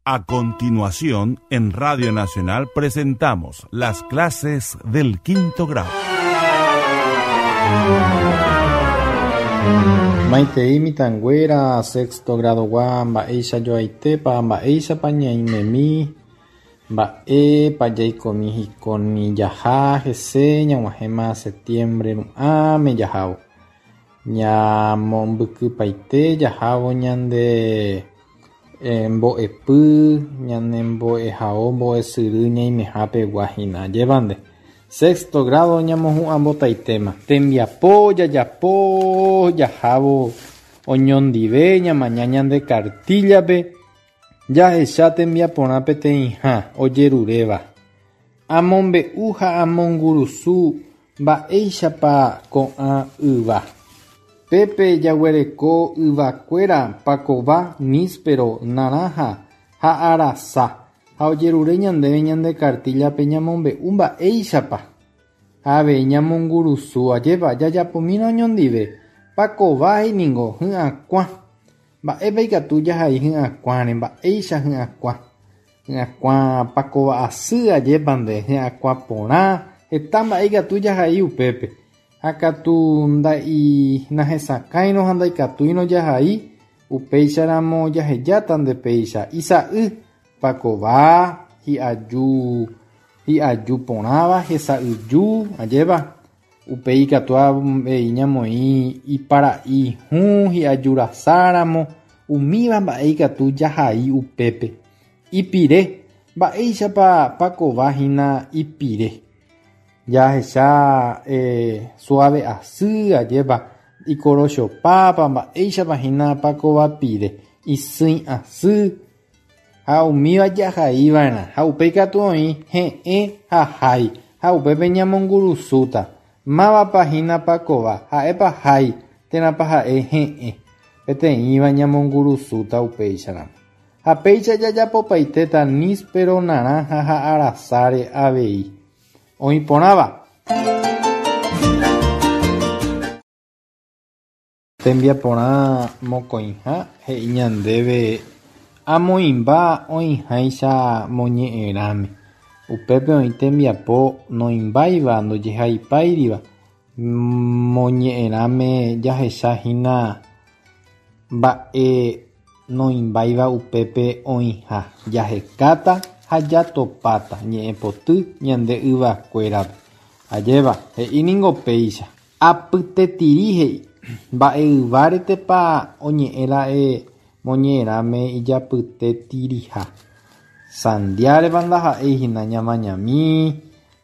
A continuación, en Radio Nacional presentamos las clases del quinto grado. Maitei mitãnguéra sexto grado-gua mba'éicha joaitépa, mba'éichapa ñaimemi, mba'épa jaikomi hikóni jaha hese ñag̃uahẽma septiembre ru'ãme jahávo. Ñamombykypaite jahávo ñande mbo'epy, ñane mbo'ehao mbo'esyry ñaimehápegua hína. Ajépa nde. Sexto grado ñamohu'ãmbotaitéma. Tembiapo jajapo jahávo oñondive ñamaña ñande kartíllape jahecha tembiaporã peteĩha ojeruréva. Amombe'u ha amongurusu mba'éichapa ko'ã yva. Pépe jaguereko yvakuéra pakova, níspero, narãha ha arasa ha ojerure ñandéve ñande kartíllape ñamombe'u mba'éichapa. Ha avei ñamongurusu, ajépa jajapomína oñondive. Pakova he'i ningo hy'akuã. Mba'épa ikatu jahai hy'akuãre, mba'éicha hy'akuã. Hy'akuã pakova asy, ajépa nde, hy'akuã porã, heta mba'e ikatu jahai upépe. Ha katu nahesakãirõ ha ndaikatúirõ jahai, upéicharamo jahejáta nde péicha. Isa'y pakova hi'aju hi'aju porãva hesa'yju, ajépa. Upéi ikatu avei ñamoĩ ipara'i hũ hi'ajurasáramo, umíva mba'e ikatu jahai upépe. Ipire, mba'éichapa pakova hína ipire. Jahecha suave asy, ajépa, ikorochopápa, mba'éichapa hína pakova pire, isỹi asy ha umíva jahaiva'erã ha upéi katu oĩ he'ẽ ha hái ha upépe ñamongurusúta. Mávapa hína pakova, ha'épa hái térãpa ha'e he'ẽ. Peteĩva ñamongurusúta upéicharamo. Ha péicha jajapopaitéta níspero, narãha ha arasáre avei. Oĩ porãva. Tembiaporã mokõiha he'i ñandéve amoĩmba oĩháicha moñe'ẽrãme. Upépe oĩ tembiapo noĩmbáiva ndojehaipáiriva moñe'ẽrãme jahechahína mba'e noĩmbáiva upépe oĩha. Jahekáta ha jatopáta ñe'ẽpoty ñande yvakuérape. Ajépa, he'íningo péicha. Apytetiri he'i mba'e yváretepa oñe'ẽra'e moñe'ẽrãme ijapytetiriha. Sandiárepa ndaha'eihína ñamañami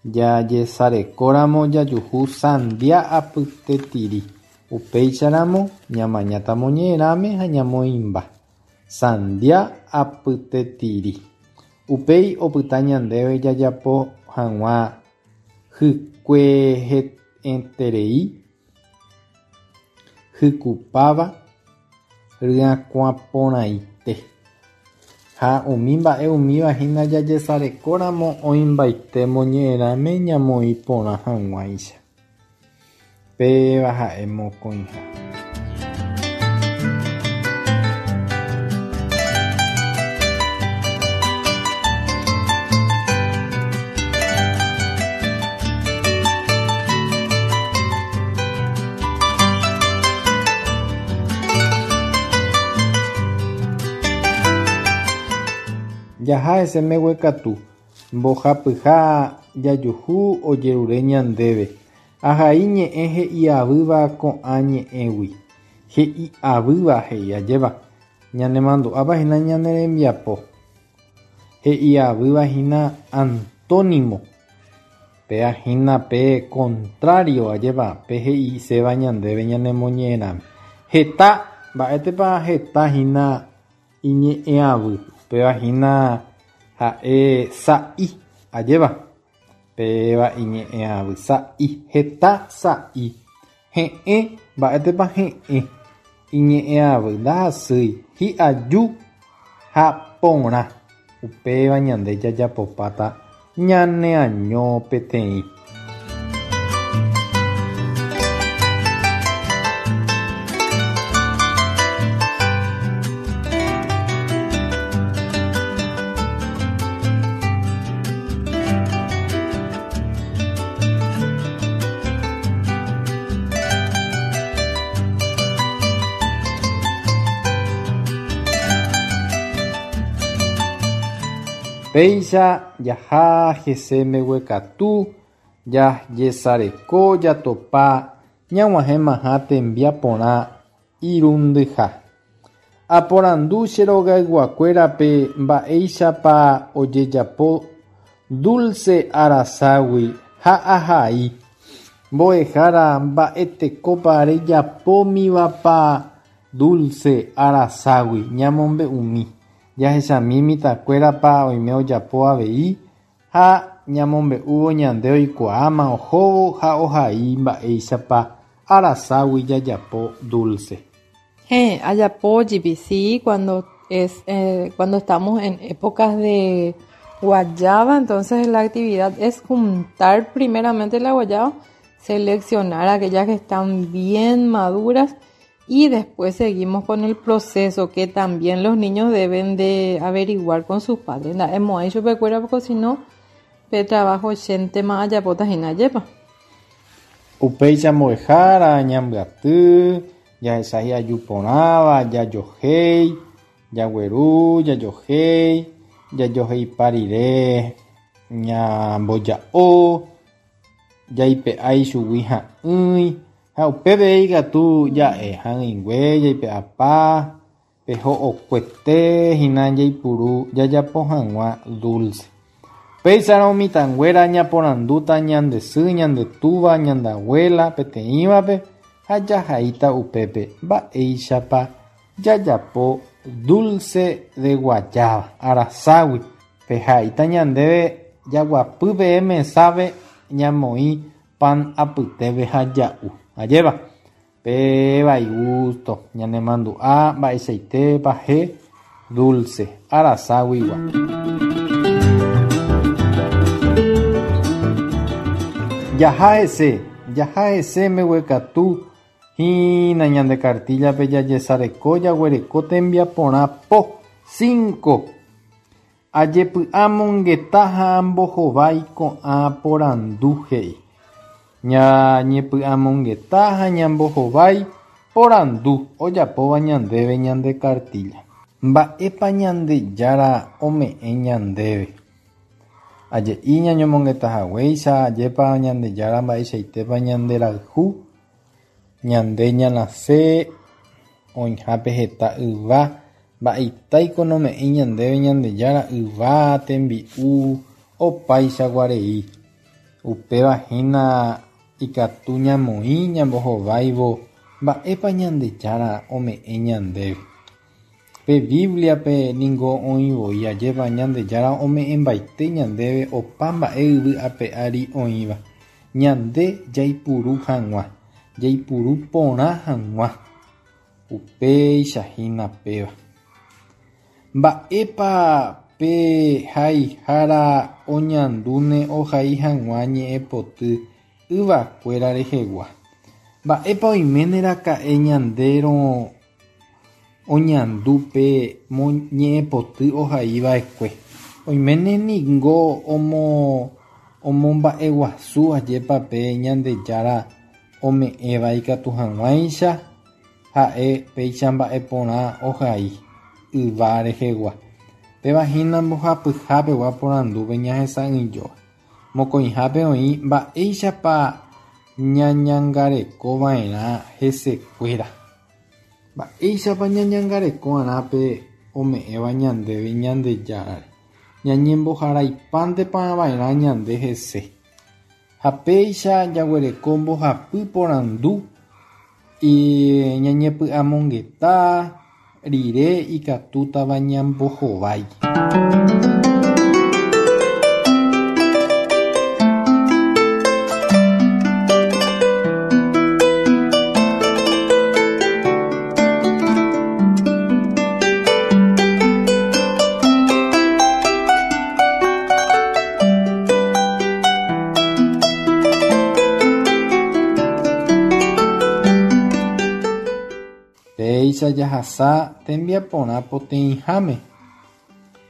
jajesarekóramo jajuhu sandia apytetiri. Upéicharamo ñamañáta moñe'ẽrãme ha ñamoĩmba. Sandia apytetiri. Upéi opyta ñandéve jajapo hag̃ua hykueheterei hykupáva ryakuãporãite. Ha umi mba'e umíva hína jajesarekóramo oĩmbaite moñe'ẽrãme ñamoĩ porã hag̃uáicha. Péva ha'e mokõiha. Jaha hese mbeguekatu, mbohapyha jajuhu ojerure ñandéve. Ahai ñe'ẽ he'iavýva ko'ã ñe'ẽgui. He'iavýva he'i ajépa. Ñanemandu'ápa hína ñane rembiapo. He'iavýva hína antónimo. Péa hína pe contrario ajépa pe he'iséva ñandéve ñanemoñe'ẽrãme. Heta, mba'étepa heta hína iñe'ẽavy. Upéva hína ha'e sa'i, ajépa. Péva iñe'ẽavy sa'i, heta sa'i. He'ẽ, mba'étepa he'ẽ. Iñe'ẽavy ndahasýi, hi'aju ha porã. Upéva ñande jajapopáta ñaneaño peteĩ. Péicha jaha hese mbeguekatu jajesareko jatopa ñag̃uahẽmaha tembiaporã irundyha. Aporandu che rogayguakuérape mba'éichapa ojejapo dulce araságui ha ahai. Mbo'ehára mba'etekópa rejapómivapa dulce araságui ñamombe'umi. Jahechami mitãkuérapa oime ojapo avei ha ñamombe'úvo ñande oikuaáma ohóvo ha ohai mba'éichapa araságui jajapo dulce. Ajapo GPC cuando es cuando estamos en épocas de guayaba, entonces la actividad es juntar primeramente la guayaba, seleccionar aquellas que están bien maduras y después seguimos con el proceso que también los niños deben de averiguar con sus padres. Hemos hecho porque si no, pe trabajo gente más allá yepa. Upéicha mbo'ehára ñambyaty, jahecha hi'ajuporãva, jajohéi, jagueru, jajohéi, jajoheipa rire ñamboja'o, jaipe'a ichugui ha'ỹi, ha upépe ikatu ja'e ha'ỹingue, jaipe'apa, peho'okuete hína jaipuru jajapo hag̃ua dulce. Péicharõ mitãnguéra ñaporandúta ñande sy, ñande túva, ñande abuela peteĩvape ha jahaíta upépe mba'éichapa jajapo dulce de guayaba araságui. Pehaíta ñandéve jaguapy peẽ mesápe ñamoĩ pan apytépe ha ja'u. Ajépa péva igusto ñanemandu'a mba'eichaitépa he dulce araságuigua. Jaha hese, jaha hese mbeguekatu hína ñande cartillape jajesareko jaguereko tembiaporã po 5. Ajepy'amongeta ha ambohovái ko'ã porandu he'i. Ñañepy'amongeta ha ñambohovái porandu ojapóva ñandéve ñande cartilla. Mba'épa Ñandejára ome'ẽ ñandéve. Aje'i ñañomongetahaguéicha ajépa Ñandejára mba'eichaitépa ñanderayhu, ñande ñanase oĩhápe heta yva, mba'eitáiko nome'ẽi ñandéve Ñandejára yva, tembi'u, opaichaguarei. Upéva hína ikatu ñamoĩ ñambohováivo mba'épa Ñandejára ome'ẽ ñandéve. Pe Bibliape ningo oĩvoi ajépa Ñandejára ome'ẽmbaite ñandéve opa mba'e yvy ape ári oĩva. Ñande jaipuru hag̃ua, jaipuru porã hag̃ua. Upéicha hína péva. Mba'épa pe haihára oñandúne ohai hag̃ua ñe'ẽpoty yvakuéra rehegua. Mba'épa oiméne raka'e ñandérõ oñandu pe ñe'ẽpoty ohaiva'ekue. Oiméne ningo omomba'eguasu ajépa pe Ñandejára ome'ẽva ikatu hag̃uáicha ha'e péicha mba'eporã ohai yva rehegua. Péva hína mbohapyhápegua porandúpe ñahesa'ỹijóva. Mokõihápe oĩ mba'éichapa ñañangarekova'erã hesekuéra. Mba'éichapa ñañangarekova'erã pe ome'ẽva ñandéve Ñandejárare. Ñañemboharaipántepava'erã ñande hese. Ha péicha jaguereko mbohapy porandu ñañepy'amongeta rire ikatútava ñambohovái. Péicha jahasa tembiaporã poteĩháme.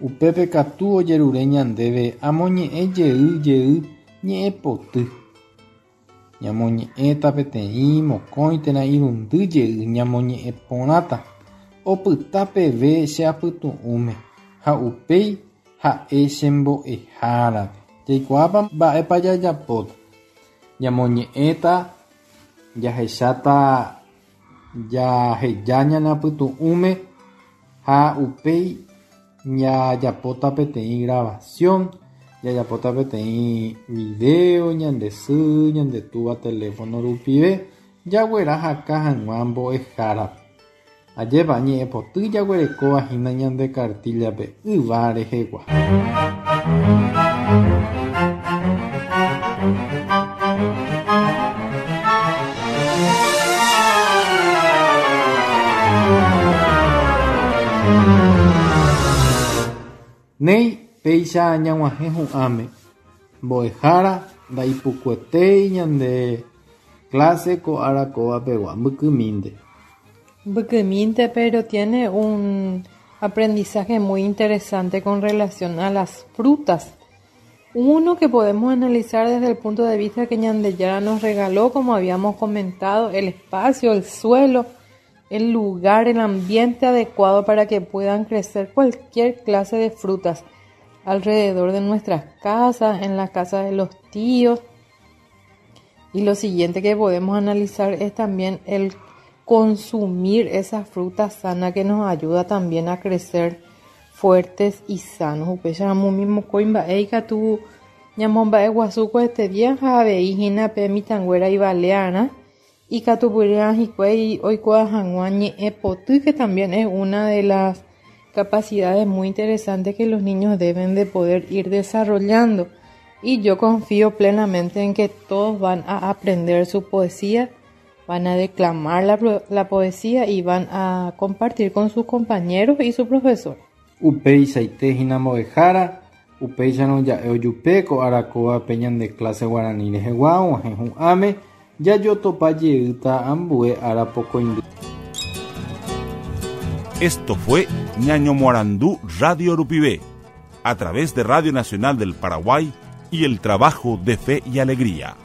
Upépe katu ojerure ñandéve amoñe'ẽ jey jey ñe'ẽpoty. Ñamoñe'ẽta peteĩ mokõi térã irundy jey ñamoñe'ẽporãta. Opyta peve che apytu'ũme ha upéi Ha'e che mbo'ehárape. Jaikuaápa mba'épa jajapóta. Ñamoñe'ẽta, jahecháta jaheja ñane apytu'ũme ha upéi jajapóta peteĩ grabación, jajapóta peteĩ video ñande sy, ñande túva teléfono rupive jaguerahaka hag̃ua mbo'ehárape. Ajépa ñe'ẽpoty jaguerekóva hína ñande kartíllape yva rehegua. Néi, péicha ñag̃uahẽ hu'ãme, mbo'ehára ndaipukuetéi ñande clase ko ára kóva pegua, mbykymínte. Mbykymínte, pero tiene un aprendizaje muy interesante con relación a las frutas. Uno que podemos analizar desde el punto de vista que Ñandejára nos regaló, como habíamos comentado, el espacio, el suelo, el lugar, el ambiente adecuado para que puedan crecer cualquier clase de frutas alrededor de nuestras casas, en la casa de los tíos. Y lo siguiente que podemos analizar es también el consumir esa fruta sana que nos ayuda también a crecer fuertes y sanos. Upéicharamo umi mokõi mba'e ikatu ñamomba'eguasu ko este día ha avei hína pe mitãnguéra ivalearã ikatupyry'ã hikuái oikuaa hag̃ua ñe'ẽpoty que también es una de las capacidades muy interesantes que los niños deben de poder ir desarrollando. Y yo confío plenamente en que todos van a aprender su poesía, van a declamar la, la poesía y van a compartir con sus compañeros y su profesor. Upeichaite hína mbo'ehára, upéicharõ ja'e ojupe ko ára kóvape ñande clase guarani rehegua og̃uahẽ hu'ãme jajotopa jeýta ambue ára pokõindy. Esto fue Ñañomoarandu Radio Rupive, a través de Radio Nacional del Paraguay y el trabajo de Fe y Alegría.